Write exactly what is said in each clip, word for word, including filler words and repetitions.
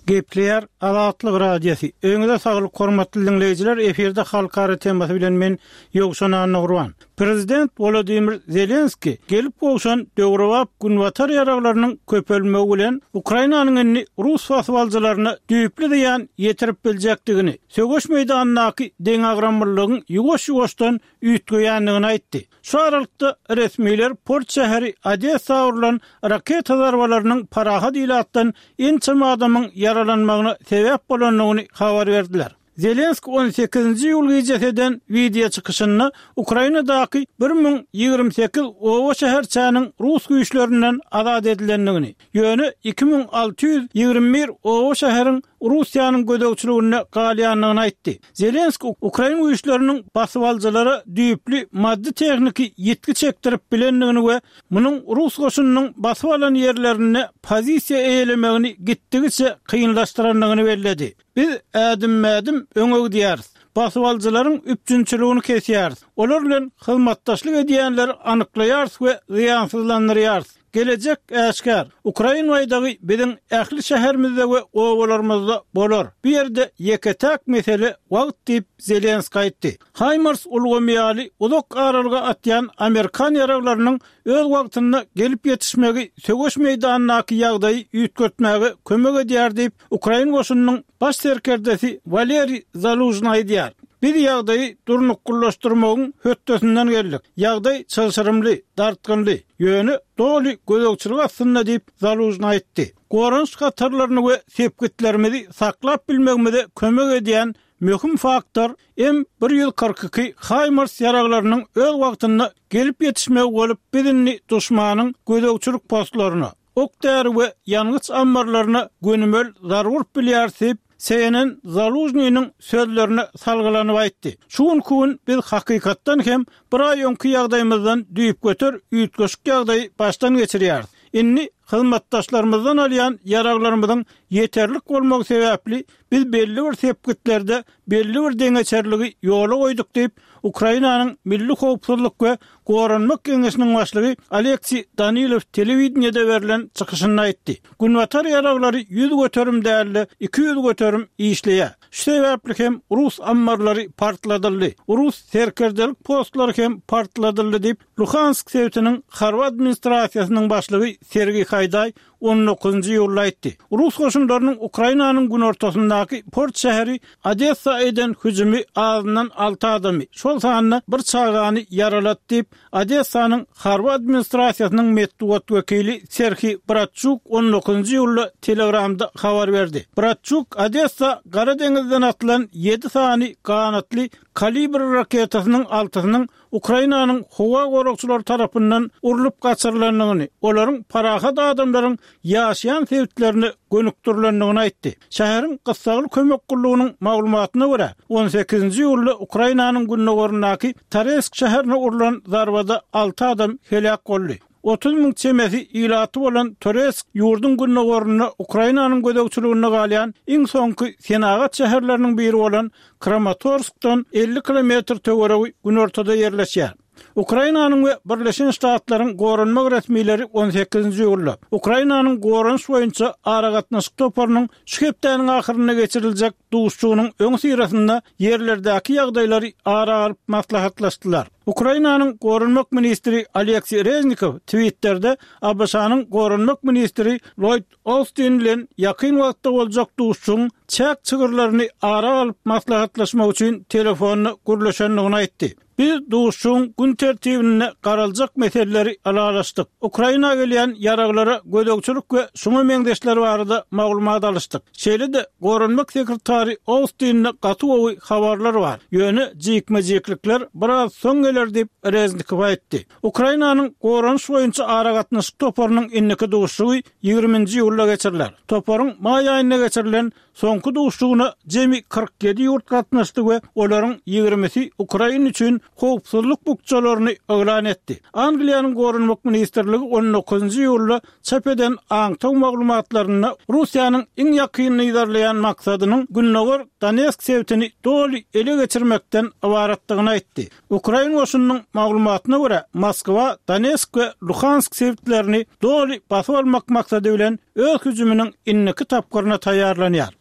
Gepleýär Azatlyk Radiosy. Öňüňize saglyk, hormatly diňleýjiler, efirde halkara temasy bilen men Ýowşan Annagurban. Prezident Wolodymyr Zelenski gelip gowşan döwrebap günbatar ýaraglarynyň köpelmegi bilen Ukrainanyň indi rus basybalyjylaryna düýpli zyýan ýetirip biljekdigini, söweş meýdanyndaky deňagramlylygyň ýuwaş-ýuwaşdan üýtgeýändigini aýtdy. Şu aralykda resmiler port şäheri Odessa urlan raketa zarbalarynyň parahat ilatdan ençeme adamyň ýaralanmagyna sebäp bolandygyny habar berdiler. Zelenski on sekizinji iýul gijesi eden wideo çykyşynda Ukrainadaky bir müň ýigrimi sekiz oba şäherçäniň rus güýçlerinden azat edilendigini, ýöne iki müň alty ýüz ýigrimi bir oba şäheriň Russiýanyň gözegçiliginde galýandygyny aýtdy. Zelenski ukrain güýçleriniň basybalyjylara düýpli maddy-tehniki ýitgi çekdirip bilendigini we munuň rus goşunynyň basyp alan ýerlerinde pozisiýa eýelemegini gitdigiçe kynlaşdyrandygyny belledi. Biz ädim-ädim öňe gidýäris. Basybalyjylaryň üpjünçiligini kesýäris. Olar bilen hyzmatdaşlyk edýänleri anyklaýarys we zyýansyzlandyrýarys. Gelejek äşgär. Ukrain baýdagy biziň ähli şäherimizde we obalarymyzda bolar. Bu ýerde ýeke-täk mesele wagt diýip, Zelenski aýtdy. HIMARS ulgamy ýaly uzak aralyga atýan amerikan ýaraglarynyň öz wagtynda gelip ýetişmegi söweş meýdanyndaky ýagdaýy üýtgetmäge kömek edýär diýip, ukrain goşunynyň baş serkerdesi Waleriý Zalužny aýdýar. Biz ýagdaýy durnuklylaşdyrmagyň hötdesinden geldik. Ýagdaý çylşyrymly, dartgynly, ýöne doly gözegçilik astynda diýip, Zalužny aýtdy. Goranyş hatarlaryny we sepgitlerimizi saklap bilmegimize kömek edýän möhüm faktor M bir ýüz kyrk iki HIMARS ýaraglarynyň öz wagtynda gelip ýetişmegi bolup, biz indi duşmanyň gözegçilik postlaryna, ok-däri we ýangyç ammarlaryna gönümel zarba urup bilýäris diýip, C N N Zalužnynyň sözlerine salgylanyp aýtdy. Şu günki gün biz hakykatdan hem bir aý öňki ýagdaýymyzdan düýpgöter üýtgeşik ýagdaýy başdan geçirýäris. Indi hyzmatdaşlarymyzdan alýan ýaraglarymyzyň ýeterlik bolmagy sebäpli biz belli bir sepgitlerde belli bir deňeçerligi ýola goýduk diýip, Ukrainanyň Milli howpsuzlyk we goranmak geňeşiniň başlygy Oleksiý Danilow telewideniýede berlen çykyşynda aýtdy. Günbatar ýaraglary ýüz göterim däl-de, iki ýüz göterim işleýär. Şu sebäpli hem rus ammarlary partladyldy, rus serkerdelik postlary hem partladyldy diýip, Luhansk sebitiniň harby administrasiýasynyň başlygy Sergiý Haýdaý on dokuzynjy iýulda aýtdy. Rus goşunlarynyň Ukrainanyň günortasyndaky port şäheri Odessa eden hüjümi azyndan alty adamy, şol sanda bir çagany ýaralady diýip, Odessanyň harby administrasiýasynyň metbugat wekili Serhiý Bratçuk on dokuzynjy iýulda Telegramda habar berdi. Bratçuk Odessa Gara deňizden atylan ýedi sany ganatly Kalibr raketasynyň altysynyň Ukrainanyň howa goragçylary tarapyndan urlup gaçyrylandygyny, olaryň parahat adamlaryň ýaşaýan sebitlerine gönükdirilendigini aýtdy. Şäheriň gyssagly kömek gullugynyň maglumatyna görä, on sekizinji iýulda Ukrainanyň gündogaryndaky Toretsk şäherine urlan zarbada alty adam heläk boldy. Otuz müň çemesi ilaty bolan Toretsk ýurduň gündogarynda Ukrainanyň gözegçiliginde galýan iň soňky senagat şäherleriniň biri bolan Kramatorskdan elli kilometr töweregi günortada ýerleşýär. Ukrainanyň we Birleşen Ştatlaryň goranmak resmileri on sekizinji iýulda Ukrainanyň goranyş boýunça aragatnaşyk toparynyň şu hepdäniň ahyrynda geçiriljek duşuşygynyň öňüsyrasynda ýerlerdäki ýagdaýlary ara alyp maslahatlaşdylar. Ukrainanyň goranmak ministri Oleksiý Reznikow Twitterde A B Ş-nyň goranmak ministri Lloýd Austin bilen ýakyn wagtda boljak duşuşygyň çäk çygyrlaryny ara alyp maslahatlaşmak üçin telefonda gürleşendigini aýtdy. Biz duşuşygyň gün tertibinde garaljak meseleleri ylalaşdyk. Ukraina gelýän ýaraglara gözegçilik we şuňa meňzeşler barada maglumat alyşdyk. Şeýle-de goranmak sekretary Austinde gaty gowy habarlar bar. Ýöne jikme-jiklikler biraz soň geler diýip Reznikow aýtdy. Ukrainanyň goranyş boýunça aragatnaşyk toparynyň indiki duşuşygy ýigriminji iýulda geçiriler. Toparyň maý aýynda geçirilen soňky duşuşygyna jemi kyrk ýedi ýurt gatnaşdy we olaryň ýigrimisi Ukraina üçin howpsuzlyk bukjalaryny yglan etdi. Angliýanyň Goranmak ministrligi on dokuzynjy iýulda çap eden aňtaw maglumatlarynda Russiýanyň iň ýakyn yzarlaýan maksadynyň Gündogar Donetsk sebitini doly ele geçirmekden ybaratdygyny aýtdy. Ukrain goşunynyň maglumatyna görä, Moskwa Donetsk we Luhansk sebitlerini doly basyp almak maksady bilen öz hüjüminiň indiki tapgyryna taýýarlanýar.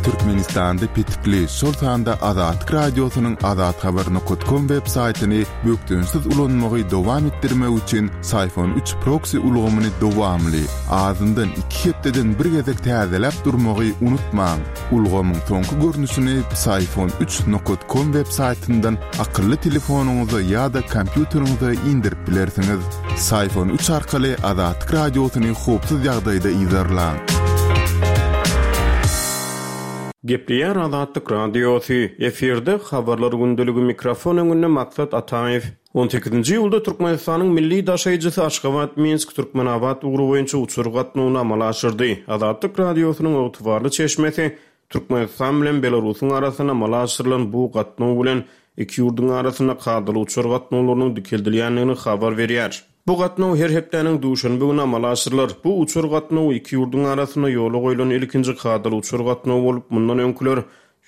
Türkmenistanda petikli, şol sanda Azatlyk Radiosynyň azathabar nokta com web saýtyny bökdençsiz ulanmagy dowam etdirmek üçin Syfon üç proksi ulgamyny dowamly, azyndan iki hepdeden bir gezek täzeläp durmagy unutmaň. Ulgamyň soňky görnüşini Syfon üç nokta com web saýtyndan akylly telefonyňyza ýa-da kompýuteriňize indirip bilersiňiz. Syfon üç arkaly Azatlyk Radiosyny howpsuz ýagdaýda yzarlaň. Gepleýär Azatlyk Radiosy, efirde habarlar gündeligi, mikrofon öňünde Maksat Ataýew. On sekizinji iýulda Türkmenistanyň milli daşaýjysy Aşgabat Minsk Türkmenabat ugry boýunça uçar gatnawyny amala aşyrdy. Azatlyk Radiosynyň ygtybarly çeşmesi Türkmenistan bilen Belarusyň arasynda amala aşyrylan bu gatnaw bilen iki ýurduň arasynda kadaly uçar gatnawlarynyň dikeldilýändigini habar berýär. Bu gatnaw her hepdäniň duşenbe güni amala aşyrylar. Bu uçar gatnawy iki ýurduň arasynda ýola goýlan ilkinji kadaly uçar gatnawy bolup, mundan öňküler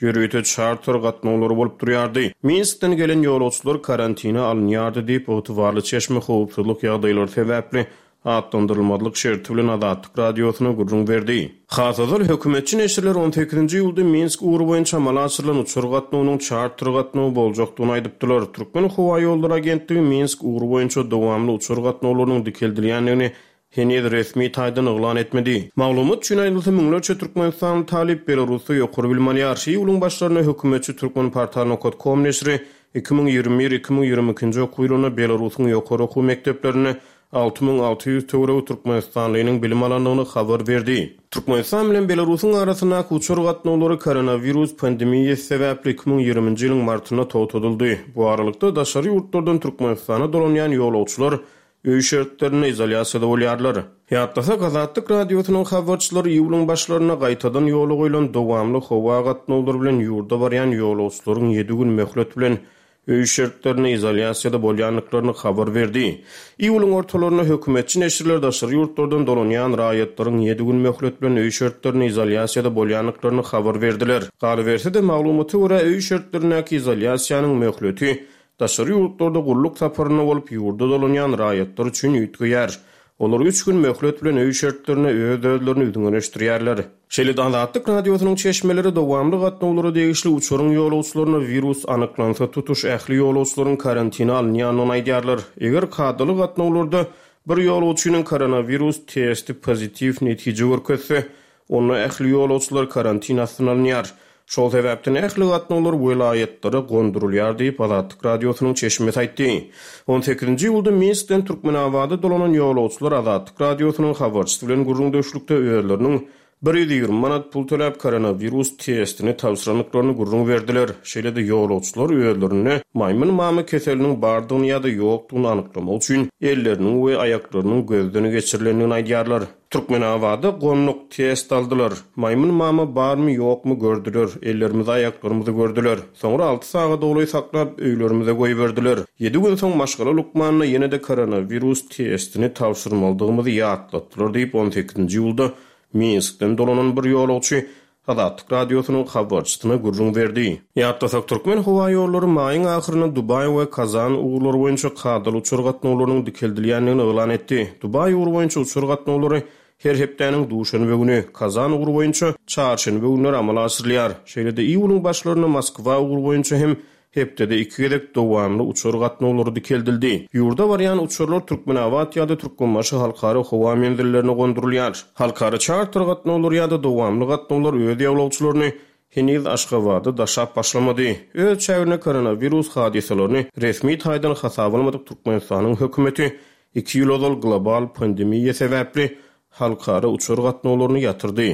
ýörite çarter gatnawlary bolup durýardy. Minskden gelen ýolagçylar karantina alynýardy diýip, ygtybarly çeşme howpsuzlyk ýagdaýlary sebäpli atlandyrylmazlyk şerti bilen Azatlyk Radiosyna gürrüň berdi. Has ozal hökümetçi neşirler on sekizinji iýulda Minsk ugry boýunça amala aşyrylan uçar gatnawynyň çarter gatnawy boljakdygyny aýdypdylar. Türkmen howa ýollary agentligi Minsk ugry boýunça dowamly uçar gatnawlarynyň dikeldilýändigini heniz resmi taýdan yglan etmedi. Maglumat üçin aýdylsa, müňlerçe Türkmenistan talyp Belarusda ýokary bilim alýar. Iýulyň başlarynda hökümetçi Türkmenportal nokta com neşiri iki müň ýigrimi bir iki müň ýigrimi ikinji okuw ýylynda Belarusyň ýokary okuw mekdeplerinde alty müň alty ýüz töweregi Türkmenistanlynyň bilim alandygyny habar berdi. Türkmenistan bilen Belarusyň arasyndaky uçar gatnawlary koronawirus pandemiýasy sebäpli iki müň ýigriminji ýylyň martynda togtadyldy. Bu aralykda daşary ýurtlardan Türkmenistana dolanýan ýolagçylar öý şertlerinde izolýasiýada bolýarlar. Ýatlasak, Azatlyk Radiosynyň habarçylary iýulyň başlarynda gaýtadan ýola goýlan dowamly howa gatnawlary bilen ýurda barýan ýolagçylaryň ýedi gün möhlet bilen öý şertlerinde izolýasiýada bolýandyklaryny habar berdi. Iýulyň ortalarynda hökümetçi neşirler daşary ýurtlardan dolanýan raýatlaryň ýedi gün möhlet bilen öý şertlerinde izolýasiýada bolýandyklaryny habar berdiler. Galyberse-de maglumata görä öý şertlerindäki izolýasiýanyň möhleti daşary ýurtlarda gulluk saparynda bolup ýurda dolanýan raýatlar üçin üýtgeýär. Olar üç gün möhlet bilen öý şertlerine öz-özlerini üzňeleşdirýärler. Şeýle-de Azatlyk Radiosynyň çeşmeleri dowamly gatnawlara degişli uçaryň ýolagçylaryna wirus anyklansa tutuş ähli ýolagçylaryň karantina alynýandygyny aýdýarlar. Eger kadaly gatnawlarda bir ýolagçynyň koronawirus testi pozitiw netije görkezse, onda ähli ýolagçylar karantin astyna alynýar. Şol sebäpden ähli gatnawlar welaýatlara gondurylýar diýip Azatlyk Radiosynyň çeşmesi aýtdy. On sekizinji iýulda Minskden Türkmenabada dolanan ýolagçylar Azatlyk Radiosynyň habarçysy bilen gürrüňdeşlikde özleriniň bir ýüz ýigrimi manat pul töläp koronawirus testini tabşyrandyklaryny gürrüň berdiler. Şeýle-de ýolagçylar özlerinde maýmyn mamy keseliniň bardygyny ýa-da ýokdugyny anyklamak üçin elleriniň we aýaklarynyň gözden geçirilendigini aýdýarlar. Türkmenabada gonduk test aldylar. Maýmyn mama barmy ýokmy gördüler. Ellerimizi aýaklarymyzy gördüler. Soňra alty sagat dogry saklap öýlerimize goýberdiler. Ýedi gün soň maşgala lukmanyna ýene-de koronawirus testini tabşyrmalydygymyzy ýatlatdylar diýip on sekizinji iýulda Minskden dolanan bir ýolagçy Azatlyk Radiosynyň habarçysyna gürrüň berdi. Ýatlasak, Türkmen howa ýollary maýyň ahyrynda Dubaý we Kazan ugurlary boýunça kadaly uçar gatnawlarynyň dikeldilýändigini yglan etdi. Dubaý ugry boýunça uçar gatnawlary her hepdäniň duşenbe güni, Kazan ugry boýunça çarşenbe günleri amala aşyrylýar. Şeýle-de iýulyň başlarynda Moskwa ugry boýunça hem hepdede iki gezek dowamly uçar gatnawlary dikeldildi. Ýurda barýan uçarlar Türkmenabat ýa-da Türkmenbaşy halkara howa menzillerine gondurylýar. Halkara çarter gatnawlary ýa-da dowamly gatnawlar öz ýolagçylaryny heniz Aşgabada daşap başlamady. Öz çäginde koronawirus hadysalaryny resmi taýdan hasaba almadyk Türkmenistanyň hökümeti iki ýyl ozal global pandemiýa sebäpli halkara uçar gatnawlaryny ýatyrdy.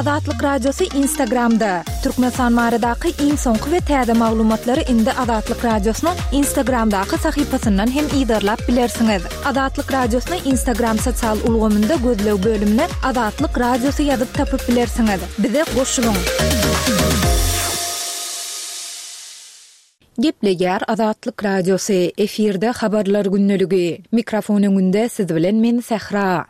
Azatlyk Radiosy Instagramda! Türkmenistan baradaky iň soňky we täze maglumatlary indi Azatlyk Radiosynyň Instagramdaky sahypasyndan hem yzarlap bilersiňiz. Azatlyk Radiosyny Instagram sosial ulgamynda gözleg bölümine Azatlyk Radiosy ýazyp tapyp bilersiňiz. Bize goşulyň! Gepleýär Azatlyk Radiosy, efirde Habarlar gündeligi. Mikrofon öňünde siz bilen men Sähra.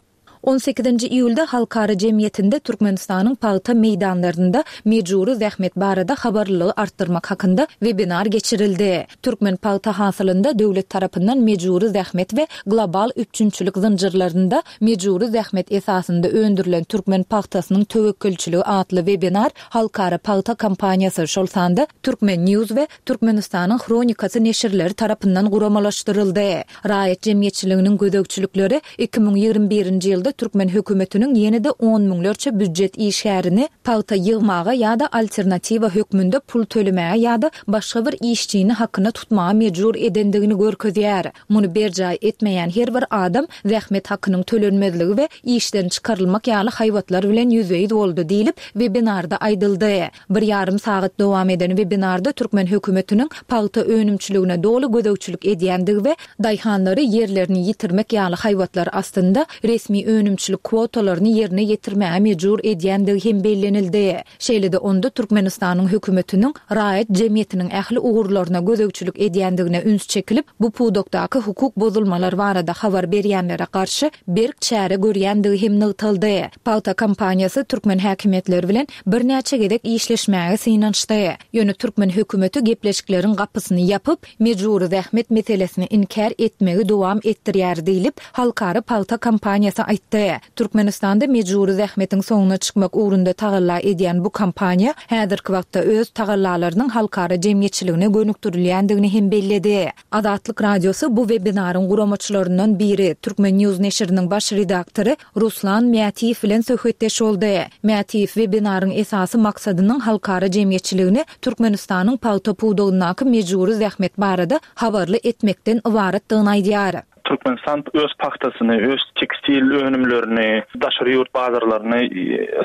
On sekizinji iýulda halkara jemgyýetinde Türkmenistanyň pagta meýdanlarynda mejbury zähmet barada habarlylygy artdyrmak hakynda webinar geçirildi. Türkmen pagta hasylynda döwlet tarapyndan mejbury zähmet we global üpjünçilik zynjyrlarynda mejbury zähmet esasynda öndürilen türkmen pagtasynyň töwekgelçiligi atly webinar Halkara pagta kampaniýasy, şol sanda Turkmen News we Türkmenistanyň Hronikasy neşirleri tarapyndan guramalaşdyryldy. Raýat jemgyýetçiliginiň gözegçilikleri iki müň ýigrimi birinji ýylda türkmen hökümetiniň ýene-de on müňlerçe býujet işgärini pagta ýygmaga ýa-da alternatiwa hökmünde pul tölemäge ýa-da başga bir işçini hakyna tutmaga mejbur edendigini görkezýär. Muny berjaý etmeýän her bir adam zähmet hakynyň tölenmezligi we işden çykarylmak ýaly haýbatlar bilen ýüzbe-ýüz boldy diýlip, webinarda aýdyldy. Bir ýarym sagat dowam eden webinarda türkmen hökümetiniň pagta önümçiligine doly gözegçilik edýändigi we daýhanlary ýerlerini ýitirmek ýaly haýbatlar astynda resmi önümçilik kwotalaryny ýerine ýetirmäge mejbur edýändigi hem bellenildi. Şeýle-de onda Türkmenistanyň hökümetiniň raýat jemgyýetiniň ähli ugurlaryna gözegçilik edýändigine üns çekilip, bu pudakdaky hukuk bozulmalar barada habar berýänlere garşy berk çäre görýändigi hem nygtaldy. Pagta kompaniýasy türkmen häkimiýetleri bilen birnäçe gezek işleşmäge synanyşdy. Ýöne türkmen hökümeti gepleşikleriň gapysyny ýapyp, mejbury zähmet meselesini inkär etmegi dowam etdirýär diýlip, Halkara pagta kompaniýasy aýtdy. Türkmenistanda mejbury zähmetiň soňuna çykmak ugrunda tagalla edýän bu kompaniýa häzirki wagtda öz tagallalarynyň halkara jemgyýetçiligine gönükdirilýändigini hem belledi. Azatlyk Radiosy bu webinaryň guramaçylaryndan biri, Turkmen News neşiriniň baş redaktory Ruslan Mätiýew bilen söhbetdeş boldy. Mätiýew webinaryň esasy maksadynyň halkara jemgyýetçiligini Türkmenistanyň pagta pudagyndaky mejbury zähmet barada habarly etmekden ybaratdygyny aýdýar. Türkmenistan öz pagtasyny, öz tekstil önümlerini daşary ýurt bazarlaryna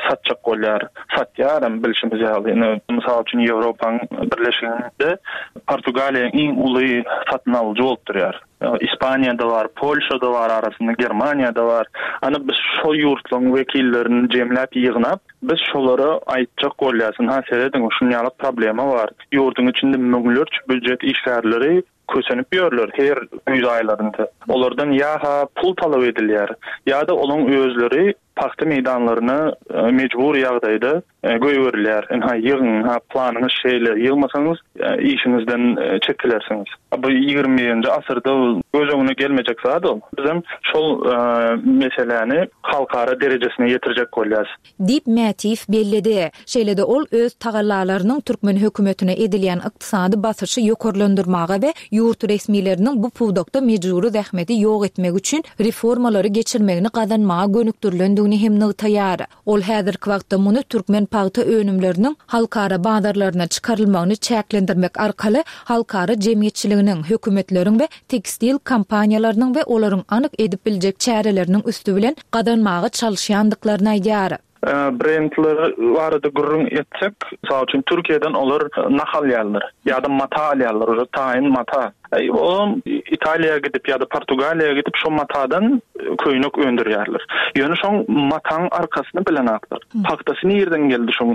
satjak bolýar. Satýar hem bilşimiz ýaly. Ine, mysal üçin, Ýewropaň Birleşiginde Portugaliýa iň uly satyn alyjy bolup durýar. Ispaniýada bar, Polşada bar, arasynda Germaniýada bar. Ana biz şo ýurtlaryň wekillerini jemläp ýygnap, biz şolara aýtjak bolýarys. Ynha serediň, şuny ýaly problema bar. Ýurduň içinde müňlerçe býujet işgärleri kösenip ýörler her güýz aýlarynda. Olardan ýa-ha pul talap edilýär, ýa-da olaň özleri pagta meýdanlaryna mejbury ýagdaýda goýberilýär. Ynha ýygyň, ynha planyňyz şeýle, ýygmasaňyz işiňizden çekilersiňiz. Bu ýigrimi birinji asyrda göz öňüne gelmejek zat ol. Bizem şol meseläni halkara derejesine ýetirjek bolýarys. Diýip, Mätiýew belledi. Şeýle-de ol öz tagallalarynyň türkmen hökümetine edilýän ykdysady basyşy ýokarlandyrmaga we ýurt resmileriniň bu pudakda mejbury zähmeti ýok etmek üçin reformalary geçirmegini gazanmaga gönükdirilendigini hem nygtaýar. Ol häzirki wagtda muny türkmen pagta önümleriniň halkara bazarlaryna çykarylmagyny çäklendirmek arkaly halkara jemgyýetçiliginiň, hökümetleriň we tekstil kompaniýalarynyň we olaryň anyk edip biljek çäreleriniň üsti bilen gazanmaga çalyşýandyklaryny aýdýar. Brendler barada gürrüň etsek, mysal üçin, Türkiýeden olar nah alýarlar ýa-da mata alýarlar, uje taýyn mata. Olam Italiýa gidip ýa-da Portugaliýa gidip şo matadan köýnek öndürýärler. Ýöne şoň mataň arkasyny bilenaklar. Pagtasy nirden geldi şoň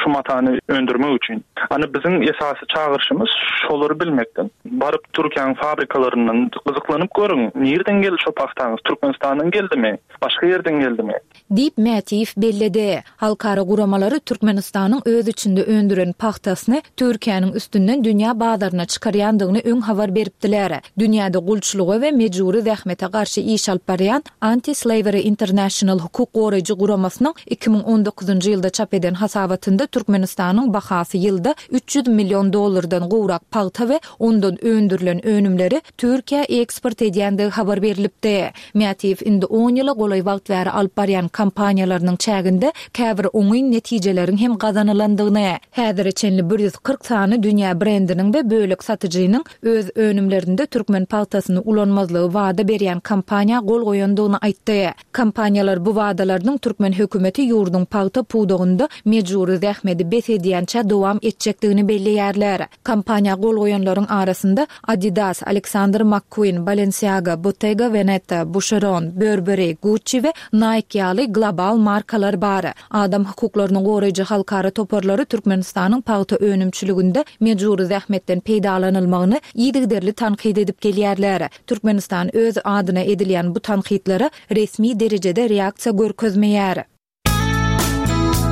şu matany öndürmek üçin? Ana biziň esasy çagyryşymyz şolary bilmekden. Baryp Türkiýäň fabrikalaryndan gyzyklanyp görüň, nirden geldi şo pagtaňyz? Türkmenistandan geldimi? Başga ýerden geldimi? Diýip, Mätiýew belledi. Halkara guramalary Türkmenistanyň öz içinde öndüren pagtasyny Türkiýäniň üstünden dünýä bazaryna çykarýandygyny öň habar beripdiler. Dünýäde gulçulyga we mejbury zähmete garşy iş alyp barýan Anti-Slavery International hukuk goraýjy guramasynyň iki müň on dokuzynjy ýylda çap eden hasabatynda Türkmenistanyň bahasy ýylda üç ýüz million dollardan gowrak pagta we ondan öndürilen önümleri Türkiýä eksport edýändigi habar berlipdi. Mätiýew indi on ýyla golaý wagt bäri alyp barýan kampaniýalarynyň çäginde käbir oňyn netijeleriň hem gazanylandygyny, häzire çenli bir ýüz kyrk sany dünýä brendiniň we bölek satyjynyň öz önümlerinde türkmen pagtasyny ulanmazlygy wada berýän kampaniýa gol goýandygyny aýtdy. Kompaniýalar bu wadalarynyň türkmen hökümeti ýurduň pagta pudagynda mejbury zähmeti bes edýänçä dowam etjekdigini belleýärler. Kampaniýa gol goýanlaryň arasynda Adidas, Alexander McQueen, Balenciaga, Bottega Veneta, Boucheron, Burberry, Gucci we Nike ýaly global markalar bar. Adam hukuklaryny goraýjy halkara toparlary Türkmenistanyň pagta önümçiliginde mejbury zähmetden peýdalanylmagyny yzygiderli tankyt edip gelýärler. Türkmenistan öz adyna edilýän bu tankytlara resmi derejede reaksiýa görkezmeýär.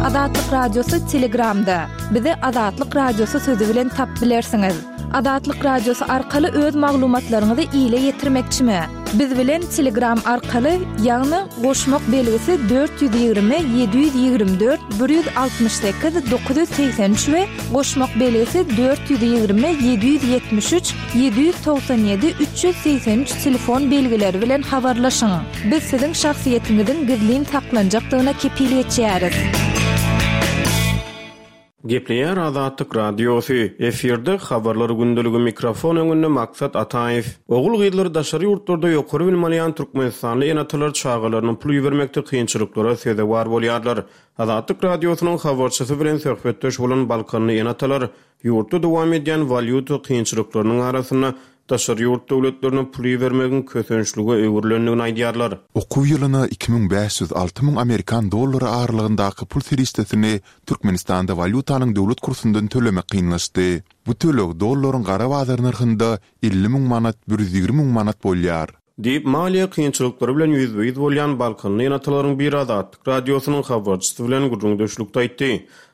Azatlyk Radiosy Telegramda. Bizi Azatlyk Radiosy sözi bilen tap bilersiňiz. Azatlyk Radiosy arkaly öz maglumatlaryňyzy ile ýetirmekçimi? Biz bilen Telegram arkaly, ýagny goşmak belgisi dört ýüz ýigrimi ýedi ýüz ýigrimi dört bir ýüz altmyş sekiz dokuz ýüz segsen üç we goşmak belgisi dört ýüz ýigrimi ýedi ýüz ýetmiş üç ýedi ýüz togsan ýedi üç ýüz segsen üç telefon belgileri bilen habarlaşyň. Biz siziň şahsyýetiňiziň gizlin saklanjakdygyna kepil geçýäris. Gepleýär Azatlyk Radiosy. Efirde habarlar gündeligi mikrofon öňünde Maksat Ataýew. Ogul-gyzlary daşary ýurtlarda ýokary bilim alýan türkmenistanly ene-atalar çagalaryny pul ibermekde kynçylyklara sezewar bolýarlar. Azatlyk Radiosynyň habarçysy bilen söhbetdeş bolan Balkanly ene-atalar ýurtda dowam edýän walýuta kynçylyklarynyň arasynda daşary ýurt döwletlerine pul ibermegiň kösençlige öwrülendigini aýdýarlar. Okuw ýylyna iki müň bäş ýüz alty müň amerikan dollary aralygyndaky pul serişdesini Türkmenistanda walýutanyň döwlet kursundan tölemek kynlaşdy. Bu töleg dollaryň gara bazar nyrhynda elli müň manat, bir ýüz ýigrimi müň manat bolýar. Diýip, maliýe kynçylyklary bilen ýüzbe-ýüz bolýan Balkanly ene-atalaryň biri Azatlyk Radiosynyň habarçysy bilen gürrüňdeşlikde aýtdy.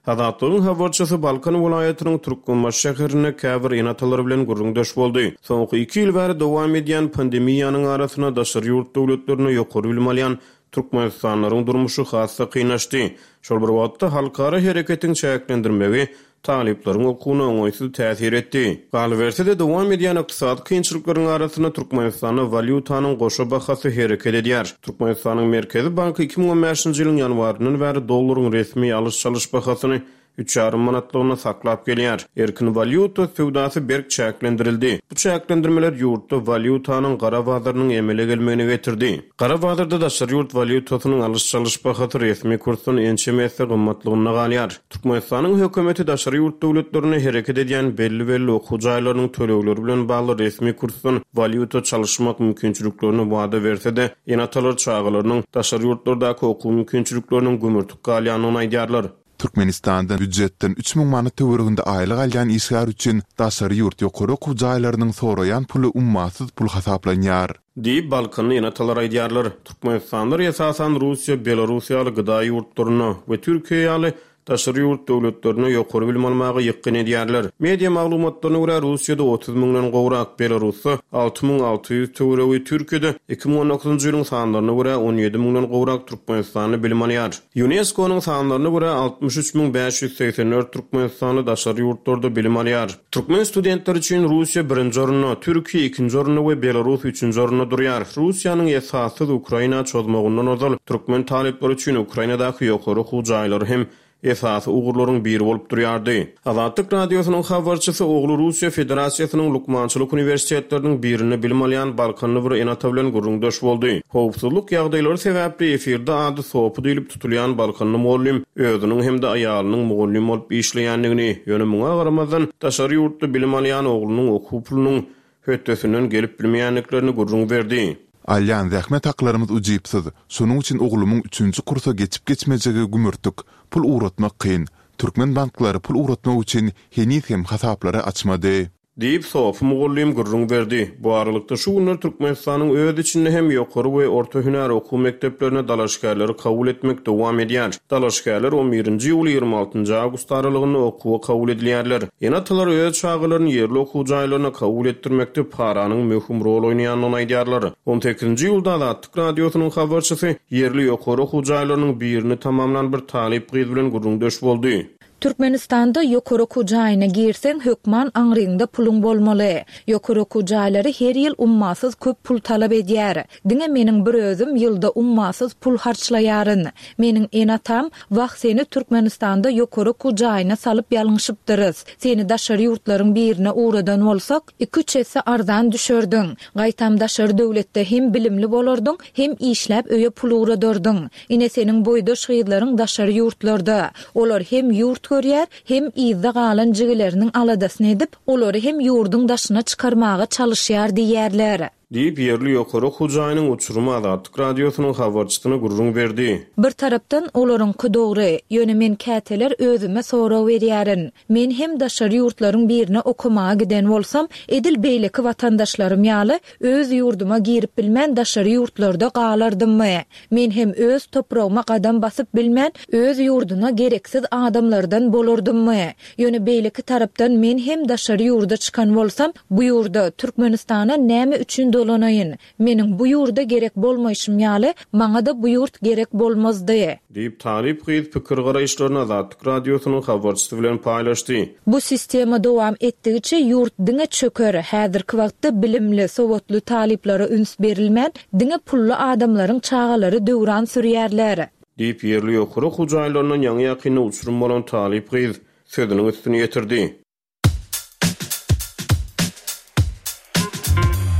Azatlygyň habarçysy Balkan welaýatynyň Türkmenbaşy şäherinde käbir ene-atalar bilen gürrüňdeş boldy. Soňky iki ýyl bäri dowam edýän pandemiýanyň arasynda daşary ýurt döwletlerinde ýokary bilim alýan türkmenistanlylaryň durmuşy has-da kynlaşdy. Şol bir wagtda halkara hereketiň çäklendirmegi talyplaryň okuwyna oňaýsyz täsir etdi. Galyberse-de, dowam edýän ykdysady kynçylyklaryň arasynda Türkmenistanda walýutanyň goşa bahasy hereket edýär. Türkmenistanyň Merkezi banky iki müň on bäşinji ýylyň ýanwaryndan bäri dollaryň resmi alyş-çalyş bahasyny üç ýarym manatlygyna saklap gelýär. Erkin walýuta söwdasy berk çäklendirildi. Bu çäklendirmeler ýurtda walýutanyň gara bazarynyň emele gelmegine getirdi. Gara bazarda daşary ýurt walýutasynyň alyş-çalyş bahasy resmi kursdan ençeme esse gymmatlygynda galýar. Türkmenistanyň hökümeti daşary ýurt döwletlerinde hereket edýän belli-belli okuw jaýlarynyň tölegleri bilen bagly resmi kursdan walýuta çalyşmak mümkinçiliklerini wada berse-de, ene-atalar çagalarynyň daşary ýurtlardaky okuw mümkinçilikleriniň gümürtik galýandygyny aýdýarlar. Türkmenistanda býujetden üç müň manat töwereginde aýlyk alýan işgär üçin daşary ýurt ýokary okuw jaýlarynyň soraýan puly ummasyz pul hasaplanýar. Diýip, Balkanly ene-atalar aýdýarlar. Türkmenistanlar esasan Russiýa, Belarus ýaly gıda ýurtlaryna we Türkiýe ýaly daşary ýurt döwletlerine ýokary bilim almaga ýykgyn edýärler. Media maglumatlaryna görä Russiýada otuz müňden gowrak, Belarusda alty müň alty ýüz töweregi, Türkiýede iki müň on dokuzynjy ýylyň sanlaryna görä on ýedi müňden gowrak türkmenistanly bilim alýar. UNESCO-nyň sanlaryna görä altmyş üç müň bäş ýüz segsen dört türkmenistanly daşary ýurtlarda bilim alýar. Türkmen studentleri üçin Russiýa birinji orunda, Türkiýe ikinji orunda we Belarus üçünji orunda durýar. Russiýanyň esassyz Ukraina çozmagyndan ozal türkmen talyplary üçin Ukrainadaky ýokary okuw jaýlary hem esasy ugurlaryň biri bolup durýardy. Azatlyk Radiosynyň habarçysy ogly Russiýa Federasiýasynyň Lukmançylyk uniwersitetleriniň birinde bilim alýan Balkanly bir ene-ata bilen gürrüňdeş boldy. Howpsuzlyk ýagdaýlary sebäpli efirde ady Sopy diýlip tutulýan Balkanly mugallym özüniň hem-de aýalynyň mugallym bolup işleýändigini, ýöne muňa garamazdan daşary ýurtda bilim alýan oglunyň okuw pulunyň hötdesinden gelip bilmeýändiklerini gürrüň berdi. Alýan zähmet haklarymyz ujypsyz, şonuň üçin oglumyň üçünji kursa geçip geçmejegi gümürtik, pul ugratmak kyn. Türkmen banklary pul ugratmak üçin heniz hem hasaplary açmady. Diýip, Sopy mugallym gürrüň berdi. Bu aralykda şu günler Türkmenistanyň öz içinde hem ýokary we orta hünär okuw mekdeplerine dalaşgärleri kabul etmek dowam edýär. Dalaşgärler on birinji iýul ýigrimi altynjy awgust aralygynda okuwa kabul edilýärler. Ene-atalar öz çagalaryny ýerli okuw jaýlaryna kabul etdirmekde paranyň möhüm rol oýnaýandygyny aýdýarlar. On sekizinji iýulda Azatlyk Radiosynyň habarçysy ýerli ýokary okuw jaýlarynyň birini tamamlan bir talyp gyz bilen gürrüňdeş boldy. Türkmenistanda ýokary okuw jaýyna girseň, hökman aňryňda puluň bolmaly. Ýokary okuw jaýlary her ýyl ummasyz köp pul talap edýär. Diňe meniň bir özüm ýylda ummasyz pul harçlaýaryn. Meniň ene-atam, Wah, seni Türkmenistanda ýokary okuw jaýyna salyp ýalňyşypdyrys. Seni daşary ýurtlaryň birine ugradan bolsak, iki-üç esse arzan düşerdiň. Gaýtam daşary döwletde hem bilimli bolardyň, hem işläp öýe pul ugradardyň. Ine seniň boýdaş gyzlaryň daşary ýurtlarda. Olar hem ýurt görýär, hem yzda galan jigileriniň aladasyny edip, olary hem ýurduň daşyna çykarmaga çalyşýar diýýärler. Diýip, ýerli ýokary okuw jaýynyň uçurymy Azatlyk Radiosynyň habarçysyna gürrüň berdi. Bir tarapdan, olaryňky dogry. Ýöne men käteler özüme sorag berýärin. Men hem daşary ýurtlaryň birine okamaga giden bolsam, edil beýleki watandaşlarym ýaly, öz ýurduma girip bilmän daşary ýurtlarda galardymmy? Men hem öz topragyma gadam basyp bilmän, öz ýurduna gereksiz adamlardan bolardymmy? Ýöne beýleki tarapdan men hem daşary ýurda çykan bolsam, bu ýurda, Türkmenistana näme üçin dolanaýyn? Meniň bu ýurda gerek bolmaýşym ýaly, maňa-da bu ýurt gerek bolmazdy. Diýip, talyp gyz pikir-garaýyşlaryny Azatlyk Radiosynyň habarçysy bilen paýlaşdy. Bu sistema dowam etdigiçe ýurt diňe çöker, häzirki wagtda bilimli, sowatly talyplara üns berilmän, diňe pully adamlaryň çagalary döwran sürýärler. Diýip, ýerli ýokary okuw jaýlaryndan ýaňy-ýakynda uçurym bolan talyp gyz sözüniň üstüni ýetirdi.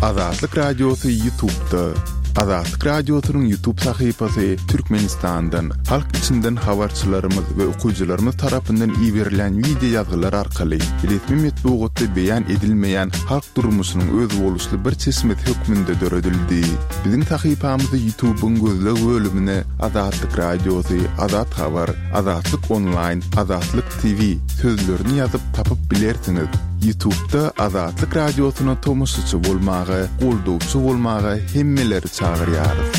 Azatlyk Radiosy Ýutubda. Azatlyk Radiosynyň Ýutub sahypasy Türkmenistandan, halk içinden habarçylarymyz we okyjylarymyz tarapyndan iberilen wideo ýazgylar arkaly resmi metbugatda beýan edilmeýän halk durmuşynyň özboluşly bir çeşmesi hökmünde döredildi. Biziň sahypamyzy Ýutubyň gözleg bölümine Azatlyk Radiosy, Azat Habar, Azatlyk Onlaýn, Azatlyk T V sözlerini ýazyp tapyp bilersiňiz. Ýutubda Azatlyk Radiosyna tomaşaçy bolmaga, goldawçy bolmaga hemmeleri çagyrýarys.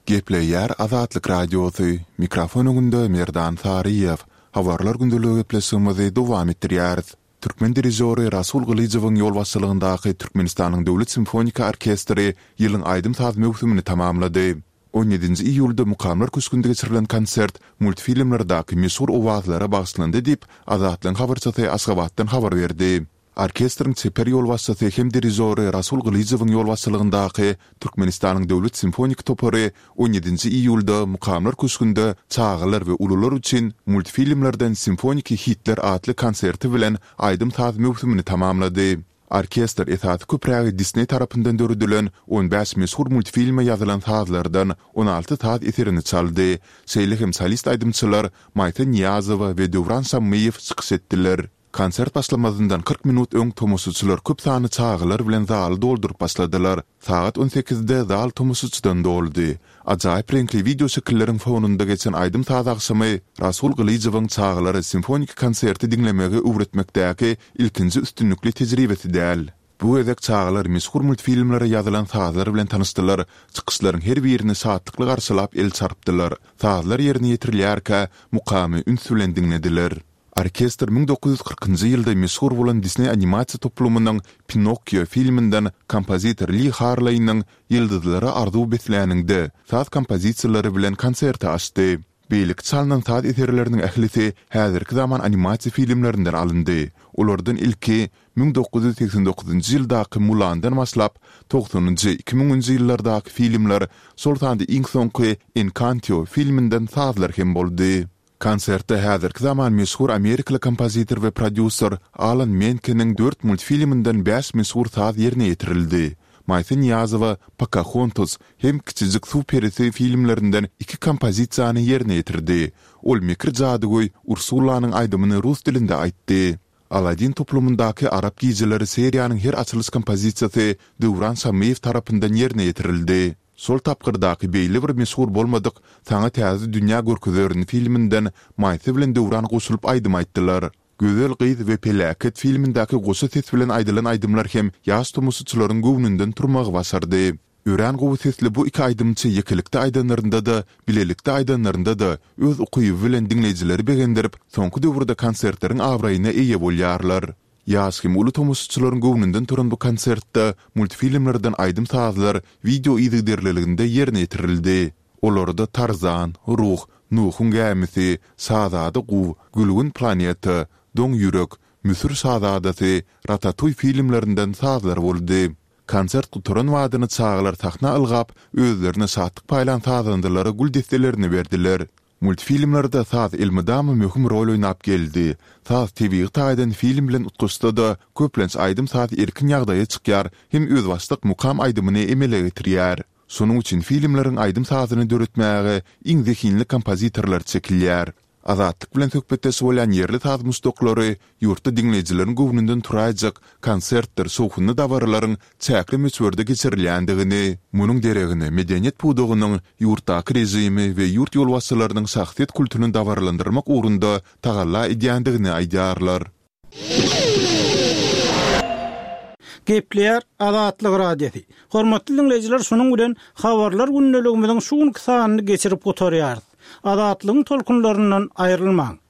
Gepleýär Azatlyk Radiosy, mikrofon öňünde Merdan Saryýew. Habarlar gündeligi gepleşigimizi dowam etdirýäris. Türkmen dirižýory Rasul Gylyjowyň ýolbaşçylygyndaky Türkmenistanyň Döwlet simfoniki orkestri ýylyň aýdym-saz möwsümini tamamlady. On ýedinji iýulda Mukamlar köşgünde geçirilen konsert multfilmlerdäki meşhur owazlara bagyşlandy diýip, Azatlygyň habarçysy Aşgabatdan habar berdi. Orkestriň çeper ýolbaşçysy hem dirižýory Rasul Gylyjowyň ýolbaşçylygyndaky Türkmenistanyň Döwlet simfoniki topary on ýedinji iýulda Mukamlar köşgünde çagalar we ulular üçin multfilmlerden simfoniki hitler atly konserti bilen aýdym-saz möwsümini tamamlady. Orkestr esasy köprägi Disney tarapyndan döredilen on bäş meşhur multfilme ýazylan sazlardan on alty saz eserini çaldy. Şeýle hem solist aýdymçylar Maýsa Nyýazowa we Döwran Şammyýew çykyş etdiler. Konsert başlamazyndan kyrk minut öň tomaşaçylar köp sanly çagalar bilen zaly dolduryp başladylar. Sagat on sekizde zal tomaşaçydan doldy. Ajaýyp reňkli wideo şekilleriň fonunda geçen aýdym-saz agşamy Rasul Gylyjowyň çagalara simfoniki konserti diňlemegi öwretmekdäki ilkinji üstünlikli tejribesi däl. Bu gezek çagalar meşhur multfilmlere ýazylan sazlar bilen tanyşdylar, çykyşlaryň her birini şatlykly garşylap el çarpdylar. Sazlar ýerine ýetirilýärkä mukamy üns bilen diňlediler. Orkestr müň dokuz ýüz kyrkynjy ýylda meşhur bolan Disney animasiýa toplumynyň Pinokkio filminden kompozitor Li Harleýniň Ýyldyzlara arzuw besläniňde saz kompozisiýalary bilen konserti açdy. Beýleki çalnan saz eserleriniň ählisi häzirki zaman animasiýa filmlerinden alyndy. Olardan ilki müň dokuz ýüz segsen dokuzynjy ýyldaky Mulandan başlap, togsanynjy, iki müňünji ýyllardaky filmler, şol sanda iň soňky Enkanto filminden sazlar hem boldy. Konsertde häzirki zaman meşhur amerikaly kompozitor we prodýuser Alan Menkeniň dört multfilminden bäş meşhur saz ýerine ýetirildi. Maýsa Nyýazowa Pokahontas hem Kiçijik suw perisi filmlerinden iki kompozisiýany ýerine ýetirdi. Ol mekir jadygöý Ursulanyň aýdymyny rus dilinde aýtdy. Aladin toplumyndaky Arap gijeleri seriýanyň her açylyş kompozisiýasy Döwran Şammyýew tarapyndan ýerine ýetirildi. Şol tapgyrdaky beýle bir meşhur bolmadyk Saňa täze dünýä görkezerin filminden Maýsa bilen Döwran goşulyp aýdym aýtdylar. Gözel gyz we peläket filmindäki goşa ses bilen aýdylan aýdymlar hem ýaş tomaşaçylaryň göwnünden turmagy başardy. Örän gowy sesli bu iki aýdymçy ýekelikde aýdanlarynda-da, bilelikde aýdanlarynda-da öz ukyby bilen diňleýjileri begendirip, soňky döwürde konsertleriň abraýyna eýe bolýarlar. Ýaş hem uly tomaşaçylaryň göwnünden turan bu konsertde multfilmlerden aýdym-sazlar wideo yzygiderliliginde ýerine ýetirildi. Olarda Tarzan, Ruh, Nuhuň gämisi, Şazada guw, Gülgün planeta, Doň ýürek, Müsür şazadasy, Ratatuý filmlerinden sazlar boldy. Konsert gutaran badyna çagalar sahna ylgap, özlerine şatlyk paýlan sazandalara gül desselerini berdiler. Multfilmlerde saz elmydama möhüm rol oýnap geldi. Saz tebigy taýdan film bilen utgaşsa-da, köplenç aýdym-saz erkin ýagdaýa çykýar hem özbaşdak mukam aýdymyny emele getirýär. Şonuň üçin filmleriň aýdym-sazyny döretmäge iň zehinli kompozitorlar çekilýär. Azatlyk bilen söhbetdeş bolýan ýerli saz muşdaklary ýurtda diňleýjileriň göwnünden turaýjak konsertdir şowhunly dabaralaryň çäkli möçberde geçirilýändigini, munuň deregine medeniýet pudagynyň ýurtdaky režimi we ýurt ýolbaşçylarynyň şahsyýet kultuny dabaralandyrmak ugrunda tagalla edýändigini aýdýarlar. Gepleýär Azatlyk Radiosy. Hormatly diňleýjiler, şunuň bilen Habarlar gündeligimiziň şu günki sanyny geçirip gutarýarys. Azatlygyň tolkunlaryndan aýrylmaň!